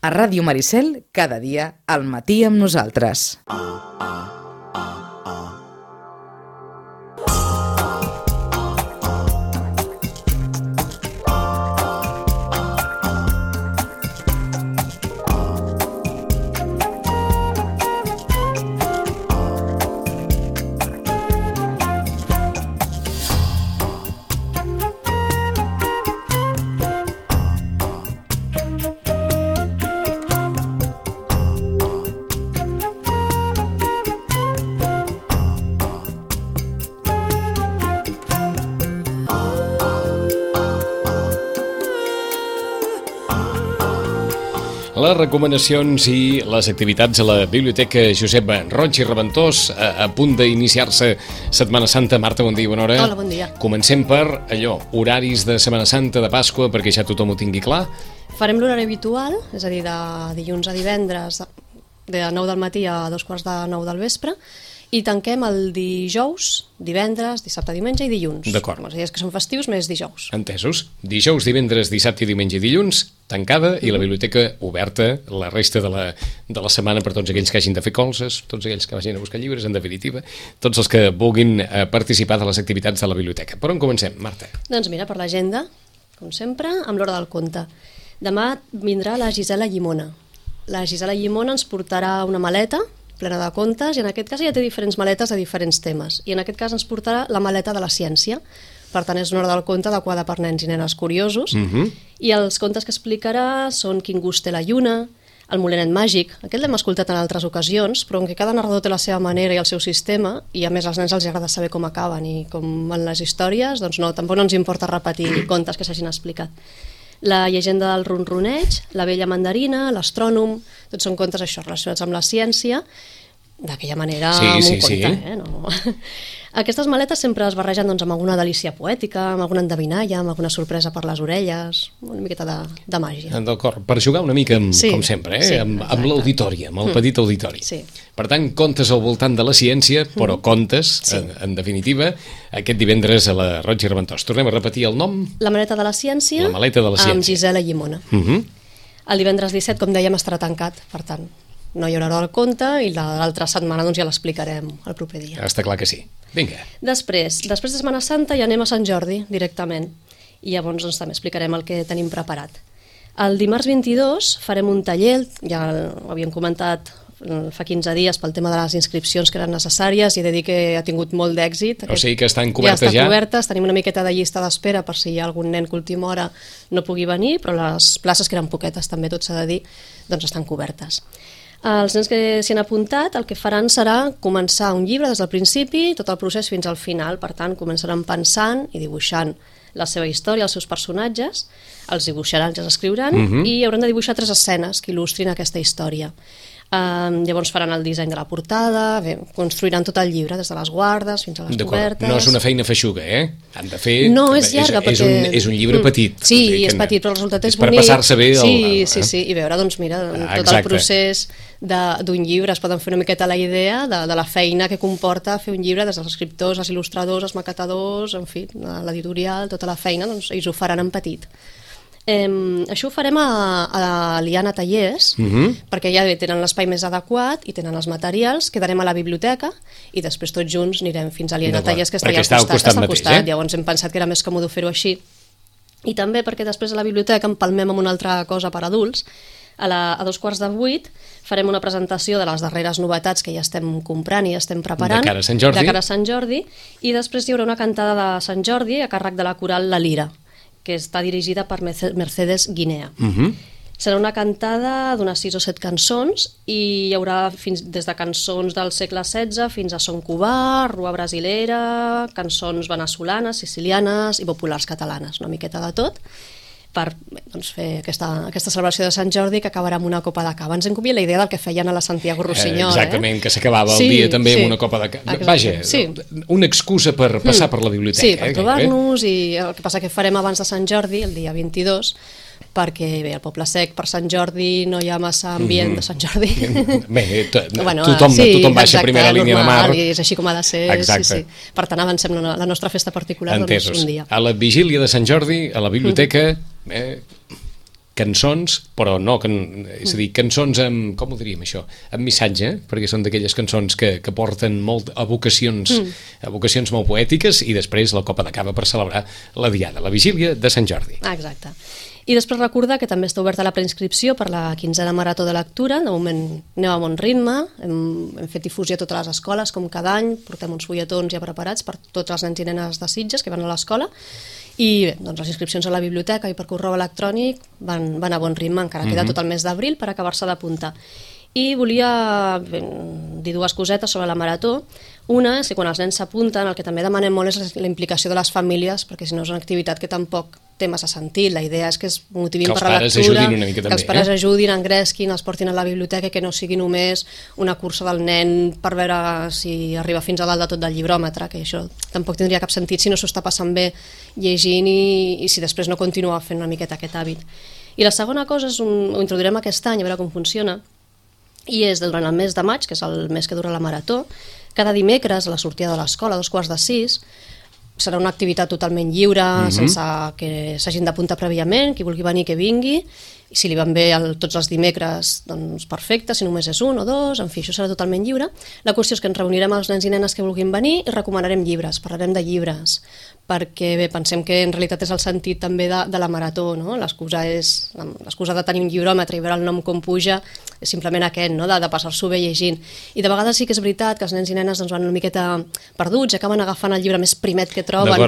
A Ràdio Maricel, cada dia, al matí amb nosaltres. Les recomanacions i les activitats a la Biblioteca Josep Roig i Reventós a punt d'iniciar-se Setmana Santa. Marta, bon dia i bona hora. Hola, bon dia. Comencem per allò, horaris de Setmana Santa, de Pasqua, perquè ja tothom ho tingui clar. Farem l'horari habitual, és a dir, de dilluns a divendres, de 9 del matí a 2:45 del vespre, i tanquem el dijous, divendres, dissabte, diumenge i dilluns. D'acord. Els dies que són festius més dijous. Entesos. Dijous, divendres, dissabte, diumenge i dilluns, tancada, i la biblioteca oberta la resta de la setmana per tots aquells que hagin de fer colzes, tots aquells que vagin a buscar llibres, en definitiva, tots els que vulguin participar de les activitats de la biblioteca. Per on comencem, Marta? Doncs mira, per l'agenda, com sempre, amb l'hora del conte. Demà vindrà la Gisela Llimona. La Gisela Llimona ens portarà una maleta plena de contes, i en aquest cas ja té diferents maletes de diferents temes, i en aquest cas ens portarà la maleta de la ciència. Per tant, és una hora del conte adequada per nens i nenes curiosos, i els contes que explicarà són Quin gust té la lluna, El molinet màgic. Aquest l'hem escoltat en altres ocasions, però en què cada narrador té la seva manera i el seu sistema, i a més als nens els agrada saber com acaben i com van les històries, doncs no, tampoc no ens importa repetir contes que s'hagin explicat. La llegenda del ronroneig, La vella mandarina, L'astrònom, tots són contes això relacionats amb la ciència, d'aquella manera amb un conte. No? Aquestes maletes sempre es barregen doncs, amb alguna delícia poètica, amb alguna endevinalla, amb alguna sorpresa per les orelles, una miqueta de màgia. D'acord, per jugar una mica, com sempre, sí, amb l'auditori, amb el petit auditori. Sí. Per tant, contes al voltant de la ciència, però contes, en definitiva, aquest divendres a la Roig i Reventós. Tornem a repetir el nom? La maleta de la ciència, La maleta de la ciència. Amb Gisela Llimona. El divendres 17, com dèiem, estarà tancat, per tant, no hi haurà hora del conte, i l'altra setmana doncs, ja l'explicarem el proper dia. Està clar que sí. Vinga. Després de Setmana Santa ja anem a Sant Jordi directament, i llavors doncs, també explicarem el que tenim preparat. El dimarts 22 farem un taller, ja ho havíem comentat fa 15 dies pel tema de les inscripcions que eren necessàries, i he de dir que ha tingut molt d'èxit. O sigui que estan cobertes ja? Ja estan cobertes, tenim una miqueta de llista d'espera per si hi ha algun nen que a última hora no pugui venir, però les places, que eren poquetes també, tot s'ha de dir, doncs estan cobertes. Els nens que s'hi han apuntat el que faran serà començar un llibre des del principi, tot el procés fins al final. Per tant, començaran pensant i dibuixant la seva història, els seus personatges, els dibuixaran, els escriuran, i hauran de dibuixar 3 escenes que il·lustrin aquesta història. Llavors faran el disseny de la portada, construiran tot el llibre, des de les guardes fins a les cobertes. No és una feina feixuga, Han de fer... No, és llarga, perquè... És un llibre petit. Sí, és petit, però el resultat és És bonic. per passar-se bé Sí, i veure, doncs mira, tot el procés d'un llibre, es poden fer una miqueta la idea de la feina que comporta fer un llibre, des dels escriptors, els il·lustradors, els maquetadors, en fi, l'editorial, tota la feina, doncs ells ho faran en petit. Això ho farem a l'Iana Tallers, perquè ja tenen l'espai més adequat i tenen els materials. Quedarem a la biblioteca i després tots junts anirem fins a l'Iana Tallers, que està allà al costat. Llavors hem pensat que era més còmode fer-ho així, i també perquè després a la biblioteca empalmem amb una altra cosa per adults. A 7:45 farem una presentació de les darreres novetats que ja estem comprant i ja estem preparant, de cara a Sant Jordi, i després hi haurà una cantada de Sant Jordi a càrrec de la coral La Lira, que està dirigida per Mercedes Guinea. Serà una cantada d'unes 6 o 7 cançons, i hi haurà des de cançons del segle XVI fins a son cubà, rua brasilera, cançons venezolanes, sicilianes i populars catalanes, una miqueta de tot, per fer aquesta celebració de Sant Jordi, que acabarà amb una copa de cava. Ens hem copiat la idea del que feien a la Santiago Rossinyol. Exactament, que s'acabava el dia també amb una copa de cava. Vaja, una excusa per passar per la biblioteca. Sí, per trobar-nos, i el que passa que farem abans de Sant Jordi, el dia 22, perquè bé, al Poble Sec per Sant Jordi no hi ha massa ambient de Sant Jordi. Bé, tothom baixa a primera línia de mar. I és així com ha de ser. Sí. Per tant, avancem la nostra festa particular un dia. A la vigília de Sant Jordi, a la biblioteca, cançons, però no, és a dir, cançons amb, com ho diríem això, amb missatge, perquè són d'aquelles cançons que porten molt evocacions molt poètiques, i després la copa de cava per celebrar la diada, la vigília de Sant Jordi. Exacte. I després recordar que també està oberta la preinscripció per la 15a Marató de Lectura. De moment anem a bon ritme, hem fet difusió a totes les escoles, com cada any, portem uns fulletons ja preparats per tots els nens i nenes de Sitges que van a l'escola, i bé, doncs les inscripcions a la biblioteca i per correu electrònic van a bon ritme, encara queda tot el mes d'abril per acabar-se d'apuntar. I volia dir dues cosetes sobre la marató. Una és que quan els nens s'apunten, el que també demanem molt és la implicació de les famílies, perquè si no és una activitat que tampoc té massa sentit. La idea és que es motivin per la lectura, que els pares ajudin una mica també, que els pares ajudin, engresquin, els portin a la biblioteca, que no sigui només una cursa del nen per veure si arriba fins a dalt de tot del llibròmetre, que això tampoc tindria cap sentit si no s'ho està passant bé llegint i si després no continua fent una miqueta aquest hàbit. I la segona cosa ho introduirem aquest any, a veure com funciona, i és durant el mes de maig, que és el mes que dura la marató, cada dimecres a la sortida de l'escola, a 5:45, serà una activitat totalment lliure, sense que s'hagin d'apuntar prèviament, qui vulgui venir que vingui, i si li van bé tots els dimecres, doncs perfecte, si només és un o dos, en fi, això serà totalment lliure. La qüestió és que ens reunirem els nens i nenes que vulguin venir i recomanarem llibres, parlarem de llibres, perquè bé, pensem que en realitat és el sentit també de la marató, no? L'excusa de tenir un llibròmetre i veure el nom com puja és simplement aquest, no? De passar-s'ho bé llegint. I de vegades sí que és veritat que els nens i nenes doncs, van una miqueta perduts, acaben agafant el llibre més primet que troben.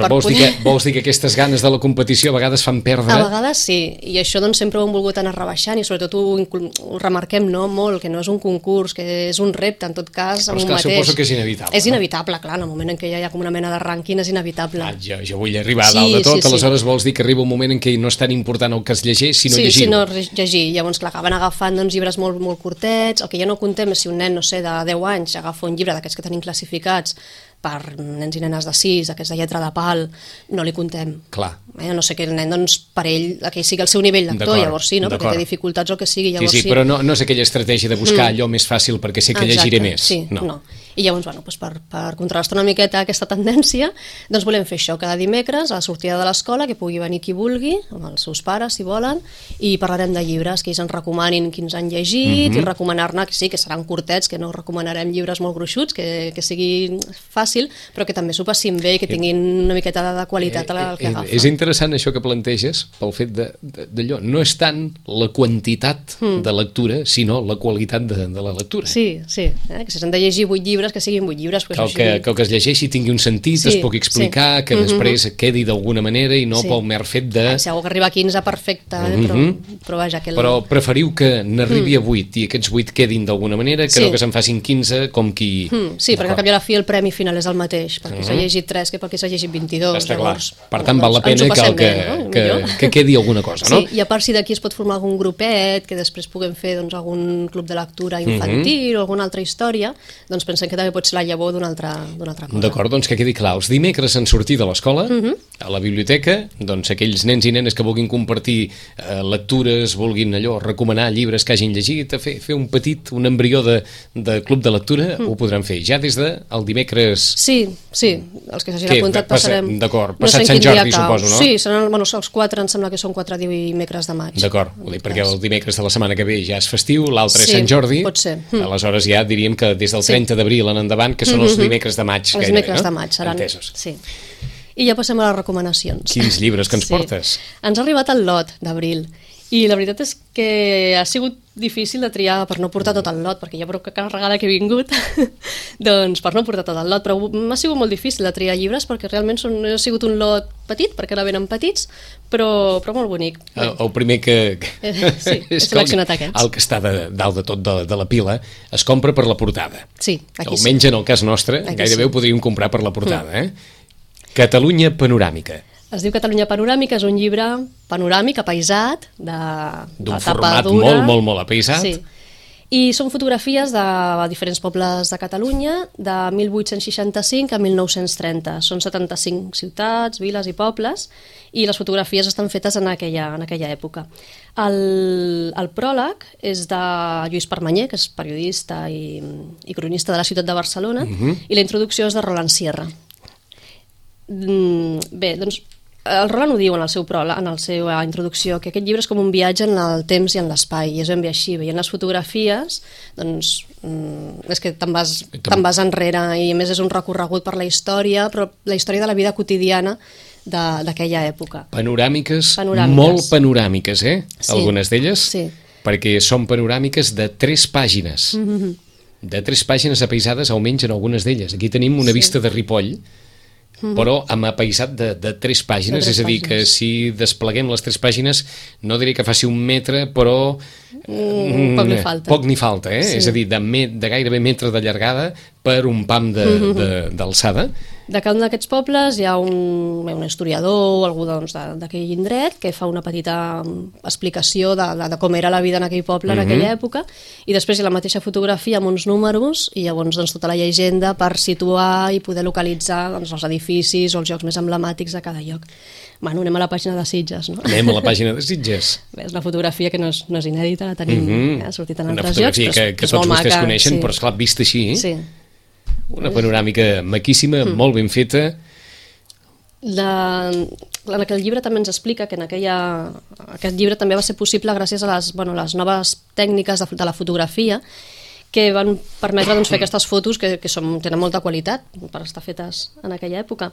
Vols dir que aquestes ganes de la competició a vegades fan perdre? A vegades sí, i això doncs, sempre ho hem volgut anar rebaixant, i sobretot ho remarquem molt, que no és un concurs, que és un repte, en tot cas, amb un mateix. Suposo que és inevitable. És inevitable, clar, en el moment en què ja hi ha com una mena de rànquing és inevitable. Jo vull arribar a dalt de tot, aleshores vols dir que arriba un moment en què no és tan important el que es llegeix, sinó llegir-ho. Sí, sinó llegir. Llavors, clar, acaben agafant llibres molt curtets. El que ja no contem és si un nen, no sé, de 10 anys agafa un llibre d'aquests que tenim classificats per nens i nenes de 6, aquests de lletra de pal, no li contem. Clar. No sé que el nen, doncs, per ell, que sigui el seu nivell lector, llavors sí, no? Perquè té dificultats o que sigui, llavors sí. Sí, però no és aquella estratègia de buscar allò més fàcil perquè sé que llegiré més. Sí, no. I llavors, bueno, doncs per contrastar una miqueta aquesta tendència, doncs volem fer això cada dimecres a la sortida de l'escola, que pugui venir qui vulgui, amb els seus pares, si volen, i parlarem de llibres, que ells ens recomanin quins han llegit, i recomanar-ne, que sí, que seran curtets, que no recomanarem llibres molt gruixuts, que sigui fàcil, però que també s'ho passin bé i que tinguin una miqueta de qualitat al que agafen. És interessant això que planteges, pel fet d'allò. No és tant la quantitat de lectura, sinó la qualitat de la lectura. Sí, que si s'han de llegir 8 llibres, que siguin 8 llibres. Que el que es llegeixi tingui un sentit, es pugui explicar, que després quedi d'alguna manera i no pel mer fet de... Si algú que arriba a 15, perfecte, però vaja... Però preferiu que n'arribi a 8 i aquests 8 quedin d'alguna manera, que no que se'n facin 15 com qui... Sí, perquè al cap i a la fi el premi final és el mateix, perquè s'ha llegit 3 que perquè s'ha llegit 22. Està clar. Per tant, val la pena que quedi alguna cosa, no? Sí, i a part si d'aquí es pot formar algun grupet, que després puguem fer algun club de lectura infantil o alguna altra història, doncs pensem que també pot ser la llavor d'una altra cosa. D'acord, doncs que quedi clar. Els dimecres en sortir de l'escola, a la biblioteca, doncs aquells nens i nenes que vulguin compartir lectures, vulguin recomanar llibres que hagin llegit, fer un embrió de club de lectura, ho podran fer ja des del dimecres... Sí, els que s'hagin apuntat passarem... D'acord, passat Sant Jordi, suposo, no? Sí, seran els 4, em sembla que són 4 dimecres de maig. D'acord, perquè el dimecres de la setmana que ve ja és festiu, l'altre és Sant Jordi, pot ser. Aleshores ja diríem que des del 30 d'abril en endavant, que són els dimecres de maig. Els dimecres de maig seran. Entesos. Sí. I ja passem a les recomanacions. Quins llibres que ens portes? Ens ha arribat el lot d'abril. I la veritat és que ha sigut difícil de triar per no portar tot el lot, perquè ja prou carregada que he vingut, doncs per no portar tot el lot, però m'ha sigut molt difícil de triar llibres perquè realment ha sigut un lot petit, perquè ara venen petits, però molt bonic. El primer que... Sí, he seleccionat aquest. El que està dalt de tot de la pila es compra per la portada. Sí, aquí sí. Almenys en el cas nostre, gairebé ho podríem comprar per la portada. Catalunya panoràmica. Es diu Catalunya panoràmica, és un llibre panoràmic, apaisat, d'un format molt apaisat. Sí. I són fotografies de diferents pobles de Catalunya de 1865 a 1930. Són 75 ciutats, viles i pobles, i les fotografies estan fetes en aquella època. El pròleg és de Lluís Permanyer, que és periodista i cronista de la ciutat de Barcelona, i la introducció és de Roland Sierra. Bé, doncs el Roland ho diu en la seva introducció, que aquest llibre és com un viatge en el temps i en l'espai, i és ben bé així. Veient les fotografies, doncs, és que te'n vas enrere, i a més és un recorregut per la història, però la història de la vida quotidiana d'aquella època. Panoràmiques, molt panoràmiques, Sí. Algunes d'elles, Sí. perquè són panoràmiques de 3 pàgines. De 3 pàgines apaisades, almenys en algunes d'elles. Aquí tenim una vista de Ripoll, però amb apaisat de 3 pàgines, és a dir, que si despleguem les 3 pàgines, no diré que faci 1 metre, però poc li falta. Poc n'hi falta, Sí. És a dir, de gairebé metre de llargada per un pam d'alçada. De cada un d'aquests pobles hi ha un historiador o algú d'aquell indret que fa una petita explicació de com era la vida en aquell poble en aquella època, i després hi ha la mateixa fotografia amb uns números i llavors tota la llegenda per situar i poder localitzar els edificis o els llocs més emblemàtics de cada lloc. Bueno, anem a la pàgina de Sitges, no? Anem a la pàgina de Sitges. Bé, és una fotografia que no és inèdita, la tenim, ha sortit en Una altres llocs. fotografia que tots vostès coneixen, però esclar, vista així, Sí. Una panoràmica maquíssima, molt ben feta. En aquell llibre també ens explica que aquest llibre també va ser possible gràcies a les noves tècniques de la fotografia, que van permetre fer aquestes fotos que tenen molta qualitat per estar fetes en aquella època.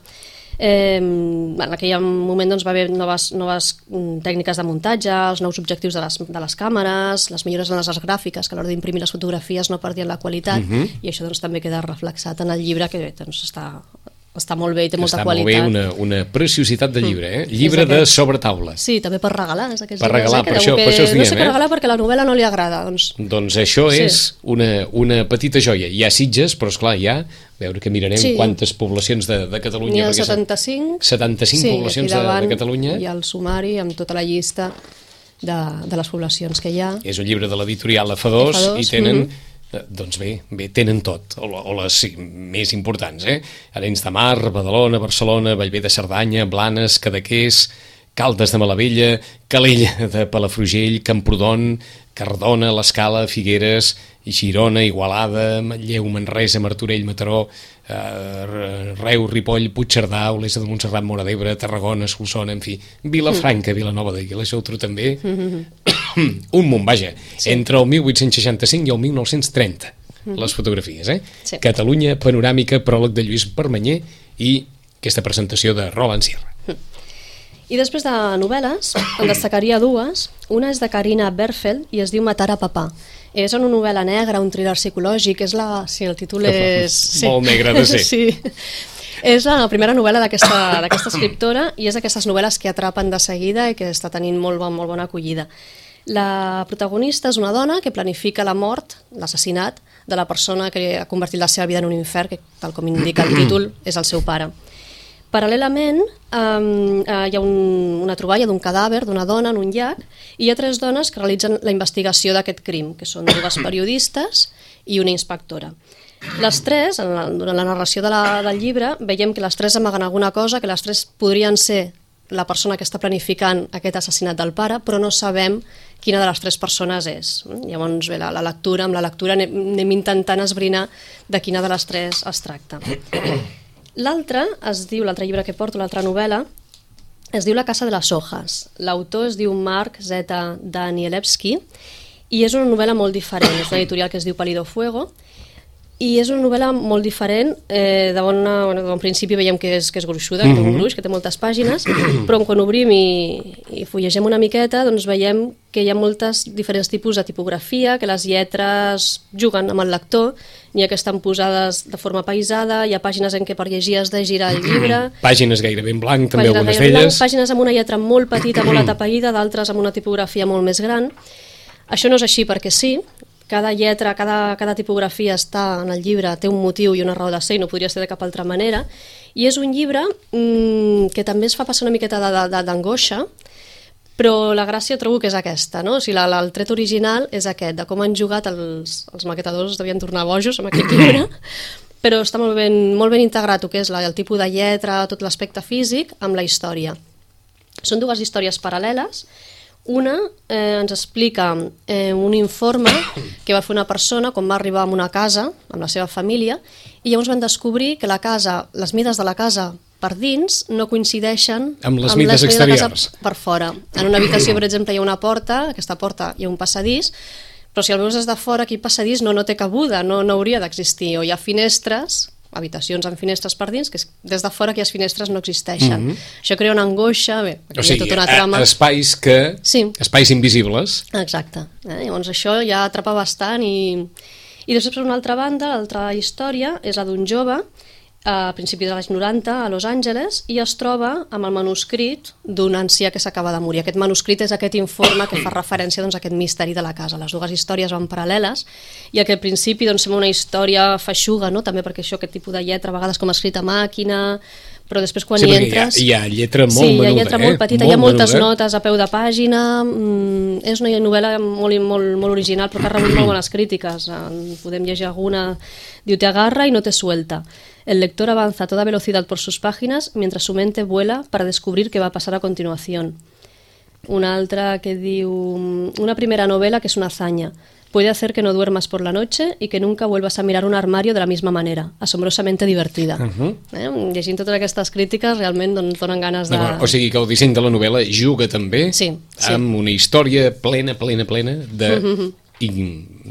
En aquell moment va haver noves tècniques de muntatge, els nous objectius de les càmeres, les millores en les gràfiques, que a l'hora d'imprimir les fotografies no perdien la qualitat, i això també queda reflexat en el llibre, que està molt bé i té molta qualitat. Està molt bé, una preciositat de llibre, Llibre de sobretaula. Sí, també per regalar. Per regalar, per això us diem. No sé què regalar perquè la novel·la no li agrada. Doncs això és una petita joia. Hi ha Sitges, però esclar, a veure que mirarem quantes poblacions de Catalunya. N'hi ha 75. 75 poblacions de Catalunya. Hi ha el sumari amb tota la llista de les poblacions que hi ha. És un llibre de l'editorial F2 i tenen... Doncs bé, tenen tot, o les més importants, Arenys de Mar, Badalona, Barcelona, Bellver de Cerdanya, Blanes, Cadaqués, Caldes de Malavella, Calella de Palafrugell, Camprodon, Cardona, l'Escala, Figueres, Girona, Igualada, Manlleu, Manresa, Martorell, Mataró, Reus, Ripoll, Puigcerdà, Olesa de Montserrat, Móra d'Ebre, Tarragona, Solsona, en fi, Vilafranca, Vilanova de Geltrú també, un munt, vaja, entre el 1865 i el 1930, les fotografies, Sí. Catalunya panoràmica, pròleg de Lluís Permanyer i aquesta presentació de Roland Sierra. I després de novel·les, en destacaria 2. Una és de Carina Berfeld i es diu Matar a papà. És una novel·la negra, un thriller psicològic, sí, el títol és... Molt negre de ser. Sí. És la primera novel·la d'aquesta escriptora i és d'aquestes novel·les que atrapen de seguida i que està tenint molt bona acollida. La protagonista és una dona que planifica la mort, l'assassinat, de la persona que ha convertit la seva vida en un infern, que, tal com indica el títol, és el seu pare. Paral·lelament, hi ha una troballa d'un cadàver d'una dona en un llac i hi ha 3 dones que realitzen la investigació d'aquest crim, que són 2 periodistes i una inspectora. Les 3, durant la narració del llibre, veiem que les 3 amaguen alguna cosa, que les 3 podrien ser la persona que està planificant aquest assassinat del pare, però no sabem quina de les 3 persones és. Llavors, bé, amb la lectura anem intentant esbrinar de quina de les 3 es tracta. L'altre llibre que porto, l'altra novel·la, es diu La casa de les hojas. L'autor es diu Mark Z. Danielewski i és una novel·la molt diferent. És una editorial que es diu Palido Fuego i és una novel·la molt diferent. De bon principi veiem que és gruixuda, que té un gruix, que té moltes pàgines, però quan obrim i fullegem una miqueta doncs veiem que hi ha molts diferents tipus de tipografia, que les lletres juguen amb el lector, n'hi ha que estan posades de forma paisada, hi ha pàgines en què per llegir has de girar el llibre... Pàgines gairebé en blanc, també algunes d'elles. Pàgines amb una lletra molt petita, molt atapeïda, d'altres amb una tipografia molt més gran. Això no és així perquè sí, cada lletra, cada tipografia està en el llibre, té un motiu i una raó de ser i no podria ser de cap altra manera, i és un llibre que també es fa passar una miqueta d'angoixa, però la gràcia trobo que és aquesta, no? O sigui, el tret original és aquest, de com han jugat els maquetadors, devien tornar bojos amb aquest llibre, però està molt ben integrat el que és el tipus de lletra, tot l'aspecte físic, amb la història. Són 2 històries paral·leles. Una ens explica un informe que va fer una persona quan va arribar a una casa amb la seva família i llavors van descobrir que la casa, les mides de la casa per dins no coincideixen amb les mides exteriors. Per fora. En una habitació, per exemple, hi ha una porta, aquesta porta hi ha un passadís, però si el veus des de fora, aquí passadís no té cabuda, no hauria d'existir. O hi ha finestres, habitacions amb finestres per dins, que des de fora aquelles finestres no existeixen. Això crea una angoixa, bé, o sigui, hi ha tota una trama. Espais invisibles. Exacte. Llavors això ja atrapa bastant i després, per una altra banda, l'altra història és la d'un jove a principis dels anys 90 a Los Angeles i es troba amb el manuscrit d'un ancià que s'acaba de morir. Aquest manuscrit és aquest informe que fa referència a aquest misteri de la casa. Les dues històries van paral·leles i que al principi sembla una història feixuga, no? També perquè aquest tipus de lletra, a vegades com escrita a màquina, però després quan hi entres... Hi ha lletra molt menuda. Sí, hi ha lletra molt petita, hi ha moltes notes a peu de pàgina, és una novel·la molt original però que ha rebut molt bones crítiques. Podem llegir alguna, diu, te agarra y no te suelta. El lector avanza a toda velocidad por sus páginas mientras su mente vuela para descubrir qué va a pasar a continuación. Una altra que diu, una primera novela que es una hazaña. Puede hacer que no duermas por la noche y que nunca vuelvas a mirar un armario de la misma manera. Asombrosamente divertida. Llegint totes aquestes crítiques realment donen ganes de... O sigui que el disseny de la novel·la juga també amb una història plena de... i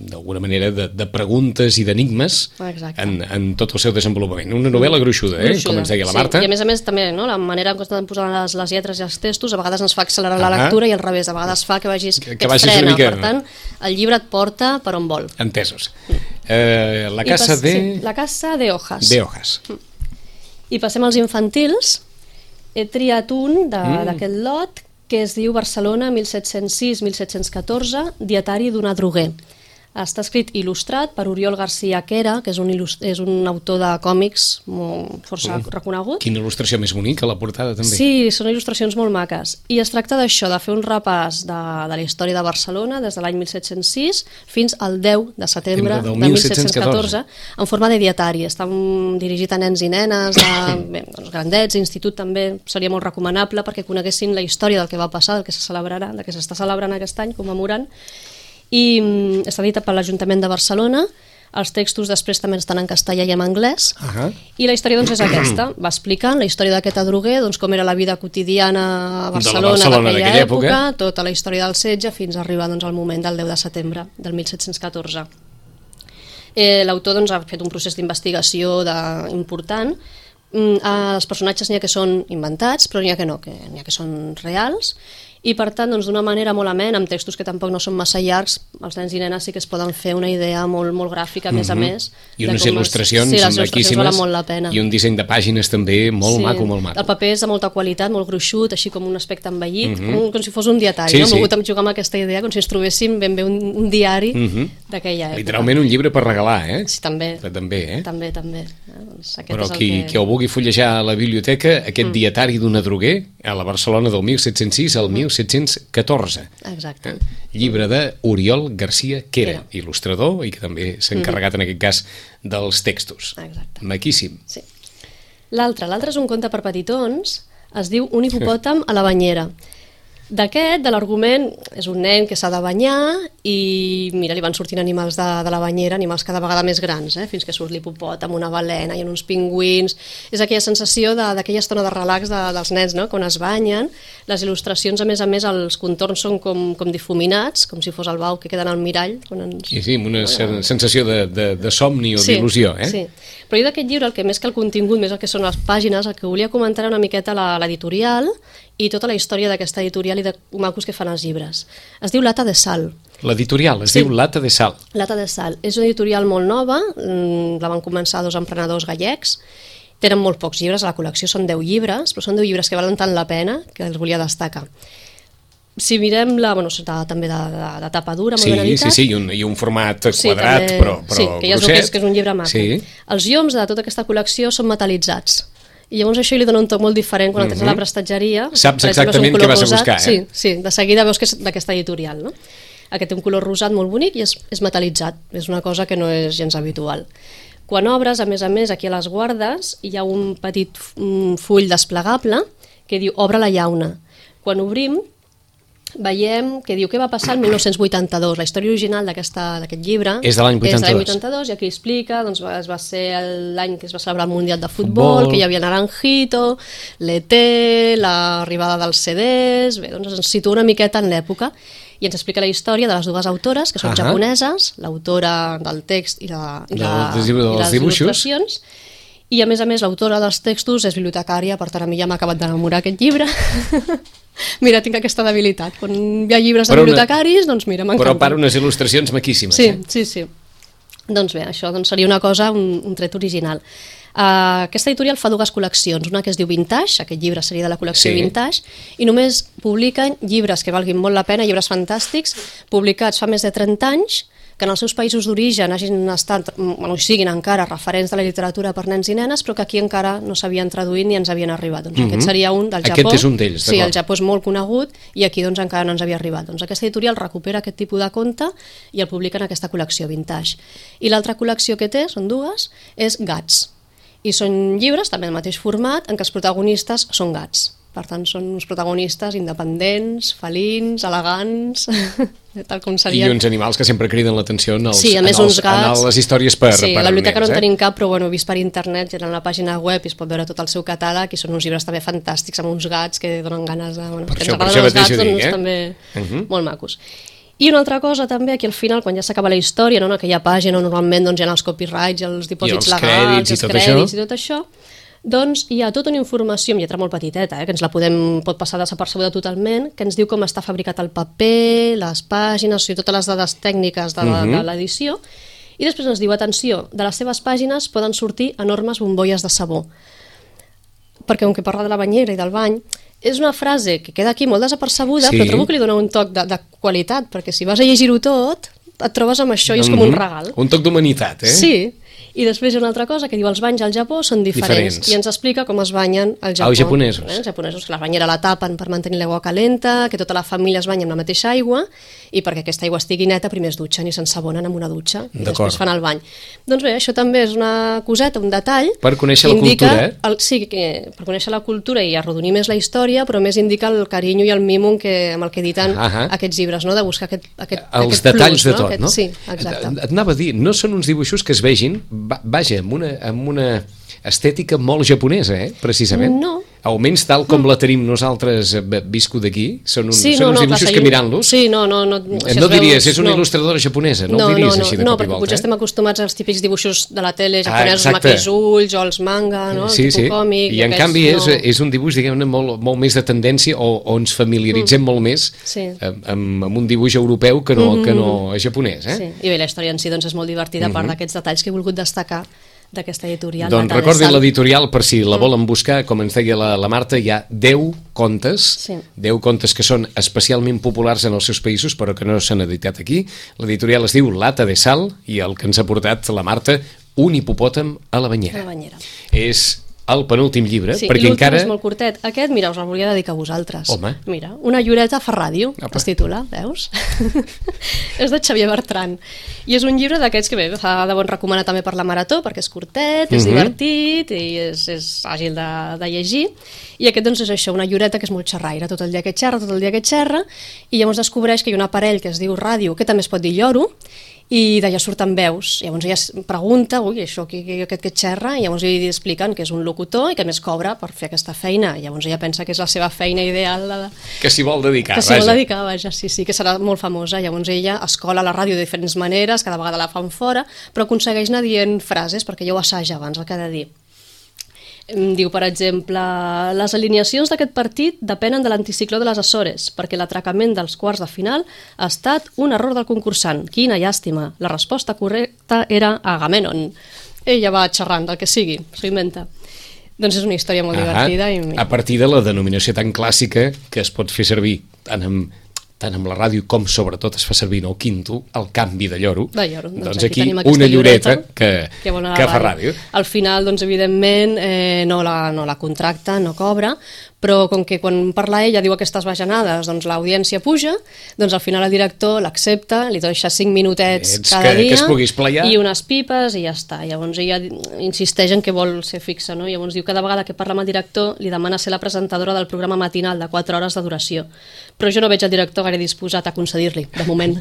d'alguna manera de preguntes i d'enigmes en tot el seu desenvolupament. Una novel·la gruixuda, com ens deia la Marta. I a més també, la manera en què estan posant les lletres i els textos a vegades ens fa accelerar la lectura i al revés, a vegades fa que vagis que et frena. Per tant, el llibre et porta per on vol. Entesos. La casa de hojas. I passem als infantils. He triat un d'aquest lot que es diu Barcelona 1706-1714, dietari d'un adroguer. Està escrit il·lustrat per Oriol García Quera, que és un autor de còmics força reconegut. Quina il·lustració més bonica, la portada també. Sí, són il·lustracions molt maques. I es tracta d'això, de fer un repàs de la història de Barcelona des de l'any 1706 fins al 10 de setembre de 1714, en forma de dietari. Està dirigit a nens i nenes, grandets, institut també seria molt recomanable perquè coneguessin la història del que va passar, del que s'està celebrant aquest any, commemorant, i està editat per l'Ajuntament de Barcelona. Els textos després també estan en castellà i en anglès, i la història és aquesta, va explicant la història d'aquest adroguer, com era la vida quotidiana a Barcelona d'aquella època, tota la història del setge fins a arribar al moment del 10 de setembre del 1714. L'autor ha fet un procés d'investigació important. Els personatges n'hi ha que són inventats, però n'hi ha que no, n'hi ha que són reals, i per tant, d'una manera molt amena, amb textos que tampoc no són massa llargs, els nens i nenes sí que es poden fer una idea molt gràfica, a més a més. I unes il·lustracions maquíssimes, i un disseny de pàgines també molt maco, molt maco. El paper és de molta qualitat, molt gruixut, així com un aspecte envellit, com si fos un dietari. Hem volgut jugar amb aquesta idea, com si ens trobéssim ben bé un diari d'aquella època. Literalment un llibre per regalar, eh? Sí, també. També. Però qui ho vulgui fullejar a la biblioteca, aquest dietari d'un adroguer, a la Barcelona del 1706 al 1714. Exacte. Llibre d'Oriol García Quera, il·lustrador, i que també s'ha encarregat en aquest cas dels textos. Exacte. Maquíssim. Sí. L'altre és un conte per petitons, es diu Un hipopòtam a la banyera. D'aquest, de l'argument, és un nen que s'ha de banyar i mira, li van sortint animals de la banyera, animals cada vegada més grans, fins que surt l'hipopòtam, una balena i uns pingüins. És aquella sensació d'aquella estona de relax dels nens, no? Quan es banyen. Les il·lustracions, a més, els contorns són com difuminats, com si fos el bau que queda en el mirall. Sí, amb una sensació de somni o d'il·lusió. Sí, però jo d'aquest llibre, el que més que el contingut, més el que són les pàgines, el que volia comentar una miqueta l'editorial i tota la història d'aquesta editorial i de macos que fan els llibres. Es diu Lata de Sal. L'editorial es diu Lata de Sal. Lata de Sal. És una editorial molt nova, la van començar 2 emprenedors gallecs, tenen molt pocs llibres a la col·lecció, són 10 llibres, però són 10 llibres que valen tant la pena que els volia destacar. Si mirem també de tapa dura, molt ben editat. Sí, i un format quadrat, però que ja es veu que és un llibre maco. Els lloms de tota aquesta col·lecció són metalitzats. I llavors això li dona un toc molt diferent quan entres a la prestatgeria. Saps exactament què vas a buscar, eh? Sí, de seguida veus que és d'aquesta editorial, no? Aquest té un color rosat molt bonic i és metalitzat, és una cosa que no és gens habitual. Quan obres, a més, aquí a les guardes hi ha un petit full desplegable que diu Obre la llauna. Quan obrim, veiem que diu què va passar el 1982. La història original d'aquest llibre és de l'any 82. És de l'any 82 i aquí explica, doncs va ser l'any que es va celebrar el Mundial de Futbol, que hi havia Naranjito, l'ET, l'arribada dels CDs, bé, doncs ens situa una miqueta en l'època i ens explica la història de les dues autores, que són japoneses, l'autora del text i les il·lustracions. I a més l'autora dels textos és bibliotecària, per tant a mi ja m'ha acabat d'enamorar aquest llibre. Mira, tinc aquesta debilitat. Quan hi ha llibres de bibliotecaris, doncs mira, m'encanta. Però per unes il·lustracions maquíssimes. Sí. Doncs bé, això seria una cosa, un tret original. Aquesta editorial fa dues col·leccions, una que es diu Vintage, aquest llibre seria de la col·lecció Vintage, i només publiquen llibres que valguin molt la pena, llibres fantàstics, publicats fa més de 30 anys, que en els seus països d'origen hagin estat, siguin encara referents de la literatura per nens i nenes, però que aquí encara no s'havien traduït ni ens havien arribat. Doncs aquest seria un del Japó. Aquest és un d'ells, sí, el Japó és molt conegut i aquí doncs encara no ens havia arribat. Doncs aquesta editorial recupera aquest tipus de conte i el publica en aquesta col·lecció Vintage. I l'altra col·lecció que té, són dues, és Gats. I són llibres, també del mateix format, en què els protagonistes són gats. Per tant, són uns protagonistes independents, felins, elegants, tal com serien. I uns animals que sempre criden l'atenció en les històries per sí, a la biblioteca no en tenim cap, però he vist per internet, en la pàgina web i es pot veure tot el seu catàleg, i són uns llibres també fantàstics, amb uns gats que donen ganes de... Per això mateix ho dic, també molt macos. I una altra cosa també, aquí al final, quan ja s'acaba la història, en aquella pàgina on normalment doncs, hi ha els copyrights, els dipòsits legals, els crèdits i tot això, doncs hi ha tota una informació amb lletra molt petiteta, que ens la pot passar desapercebuda totalment, que ens diu com està fabricat el paper, les pàgines, totes les dades tècniques de l'edició, i després ens diu, atenció, de les seves pàgines poden sortir enormes bombolles de sabó, perquè com que parla de la banyera i del bany, és una frase que queda aquí molt desapercebuda, però trobo que li dona un toc de qualitat, perquè si vas a llegir-ho tot, et trobes amb això i és com un regal. Un toc d'humanitat, eh? Sí. I després hi ha una altra cosa que diu els banys al Japó són diferents. I ens explica com es banyen al Japó. Els japonesos. Els japonesos, que la banyera la tapen per mantenir l'aigua calenta, que tota la família es banya amb la mateixa aigua, i perquè aquesta aigua estigui neta primer es dutxen i s'ensabonen amb una dutxa i després fan el bany. Doncs bé, això també és una coseta, un detall. Per conèixer la cultura, sí, per conèixer la cultura i arrodonir més la història, però més indica el carinyo i el mimo amb el que editen aquests llibres, no? De buscar aquest els detalls plus, de tot, no? Sí, exacte. Et anava a dir, no són uns dibuixos que es vegin, vaja, amb una estètica molt japonesa, precisament. No. Almenys tal com la tenim nosaltres viscut d'aquí, són uns dibuixos que mirant-los... Sí, no diries, és una il·lustradora japonesa, no ho diries així de cop i volta. No, perquè potser estem acostumats als típics dibuixos de la tele japonesos, amb aquells ulls, o els manga, el tipus còmic... I en canvi és un dibuix, diguem-ne, molt més de tendència, o ens familiaritzem molt més amb un dibuix europeu que no japonès. Sí, i bé, la història en si és molt divertida, a part d'aquests detalls que he volgut destacar d'aquesta editorial. Doncs recordin l'editorial per si la volen buscar, com ens deia la Marta, hi ha 10 contes, 10 contes que són especialment populars en els seus països però que no s'han editat aquí. L'editorial es diu Lata de Sal i el que ens ha portat la Marta, Un hipopòtam a la banyera. És el penúltim llibre, perquè encara... Sí, és molt curtet. Aquest, mira, us el volia dedicar a vosaltres. Home. Mira, Una lloreta fa ràdio, es titula, veus? És de Xavier Bertran. I és un llibre d'aquests que bé, fa de bon recomanar també per la marató, perquè és curtet, és divertit i és àgil de llegir. I aquest doncs és això, una lloreta que és molt xerraire, tot el dia que xerra, i llavors descobreix que hi ha un aparell que es diu ràdio, que també es pot dir lloro, i d'allà surten veus. Llavors ella es pregunta, això aquest que xerra, i llavors li expliquen que és un locutor i que més cobra per fer aquesta feina. I llavors ella pensa que és la seva feina ideal. Que s'hi vol dedicar, vaja. Sí, que serà molt famosa. Llavors ella escola la ràdio de diferents maneres, cada vegada la fan fora, però aconsegueix anar dient frases, perquè ja ho assaja abans el que ha de dir. Diu, per exemple, les alineacions d'aquest partit depenen de l'anticicló de les Açores, perquè l'atracament dels quarts de final ha estat un error del concursant. Quina llàstima. La resposta correcta era Agamèmnon. Ella va xerrant del que sigui, s'ho inventa. Doncs és una història molt divertida. A partir de la denominació tan clàssica que es pot fer servir tant amb la ràdio com sobretot es fa servir en el quinto, el canvi de lloro. Doncs aquí una lloreta que fa ràdio. Al final, doncs, evidentment, no la contracta, no cobra, però com que quan parla ella diu aquestes bajanades, doncs l'audiència puja, doncs al final el director l'accepta, li deixa 5 minutets cada dia que es pugui esplayar. I unes pipes i ja està. Llavors ella insisteix en que vol ser fixa, no? Llavors diu que cada vegada que parla amb el director li demana ser la presentadora del programa matinal de 4 hores de duració. Però jo no veig el director gaire disposat a concedir-li, de moment.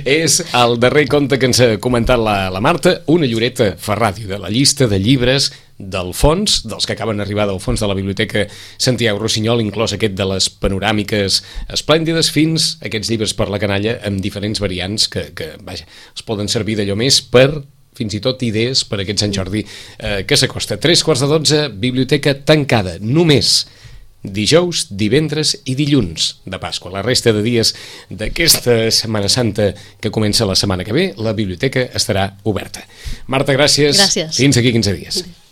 És el darrer conte que ens ha comentat la Marta, una lloreta fa ràdio de la llista de llibres del fons, dels que acaben d'arribar del fons de la Biblioteca Santiago Rossinyol, inclòs aquest de les panoràmiques esplèndides, fins a aquests llibres per la canalla amb diferents variants que vaja, es poden servir d'allò més per fins i tot idees per a aquest Sant Jordi que s'acosta. 3:15, Biblioteca tancada, només dijous, divendres i dilluns de Pasqua. La resta de dies d'aquesta Setmana Santa que comença la setmana que ve, la biblioteca estarà oberta. Marta, gràcies. Gràcies. Fins aquí 15 dies.